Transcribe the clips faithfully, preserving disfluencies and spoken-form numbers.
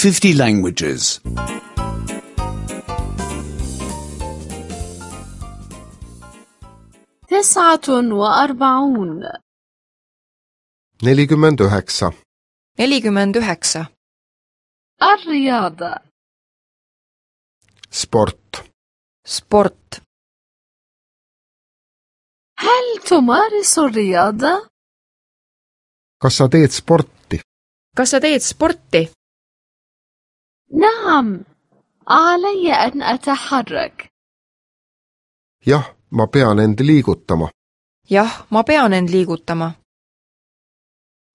fifty languages. تسعة وأربعون. nelikümmend üheksa. nelikümmend üheksa. الرياضة. sport. sport. هل تمارس الرياضة؟ kas sa teed sporti? kas sa teed sporti? نعم، علي أن أتحرك. jah, ma pean end liigutama. jah, ma pean end liigutama.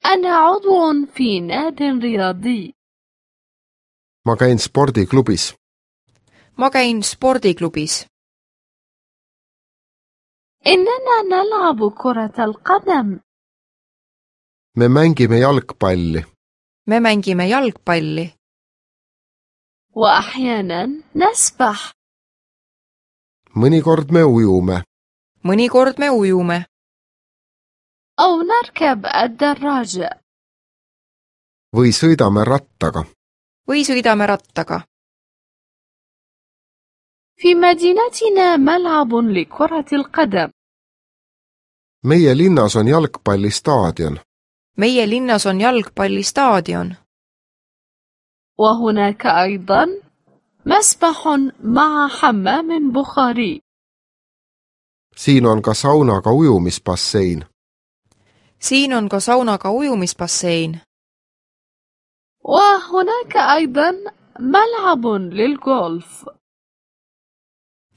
أنا عضو في ناد رياضي. ma käin spordiklubis. ma käin spordiklubis. إننا نلعب كرة القدم. me mängime jalgpalli. me mängime jalgpalli. وأحيانا نسبح. mõnikord me ujume. mõnikord me ujume. أو نركب الدراجة. või sõidame rattaga. või sõidame rattaga. في مدينتنا ملعب لكرة القدم. meie linnas on jalgpallistaadion. meie linnas on jalgpallistaadion. وهناك أيضا مسبح مع حمام بخاري. siin on ka saunaga ujumisbassein. siin on ka saunaga ujumisbassein. وهناك أيضا ملعب للغولف.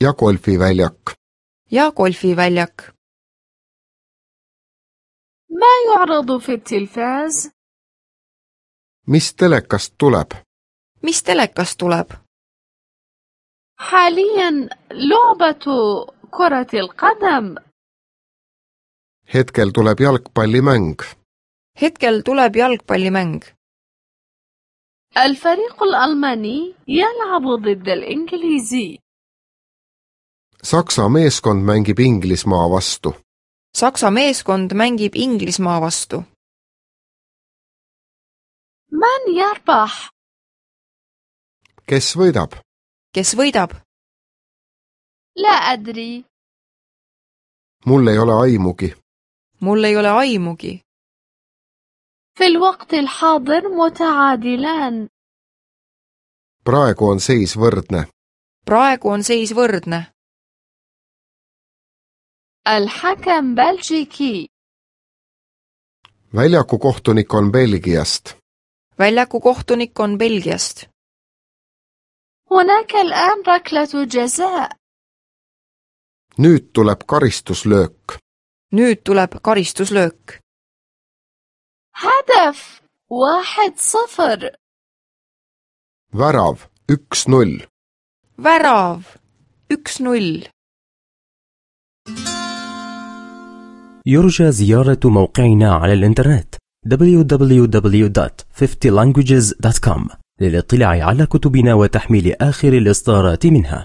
ja golfiväljak. ja golfiväljak. ما يعرض في التلفاز؟ mis telekast tuleb? mis telekast tuleb? حاليا لعبة كرة القدم. hetkel tuleb jalgpallimäng. hetkel tuleb jalgpallimäng. الفريق الألماني يلعب ضد الإنجليزي. Saksa meeskond mängib Inglismaa vastu. Saksa meeskond mängib Inglismaa vastu. من يربح؟ kes võidab? kes võidab? لا أدري. mul ei ole aimugi. mul ei ole aimugi. في الوقت الحاضر متعادلان. praegu on seis võrdne. praegu on seis võrdne. الحكم بلجيكي. väljaku kohtunik on Belgiast. väljaku kohtunik on Belgiast. هناك الآن ركلة جزاء. nüüd tuleb karistuslöök. nüüd tuleb karistuslöök. هدف واحد صفر. värav üks null. värav üks null. يرجى زيارة موقعنا على الإنترنت دبليو دبليو دبليو دوت fifty languages دوت كوم للاطلاع على كتبنا وتحميل آخر الإصدارات منها.